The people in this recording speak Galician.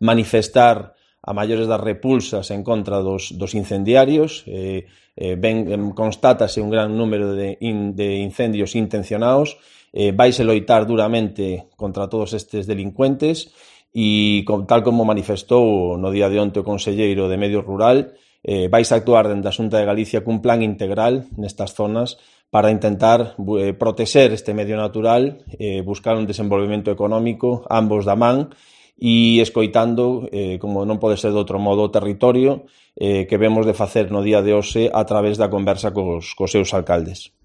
manifestar a maiores das repulsas en contra dos incendiarios. Constátase un gran número de incendios intencionados. Vaise loitar duramente contra todos estes delincuentes e, tal como manifestou no día de onte o conselleiro de Medio Rural, vaise actuar dende a Xunta de Galicia cun plan integral nestas zonas para intentar protexer este medio natural, buscar un desenvolvemento económico, ambos da man, e escoitando, como non pode ser de outro modo, o territorio que vemos de facer no día de hoxe a través da conversa cos seus alcaldes.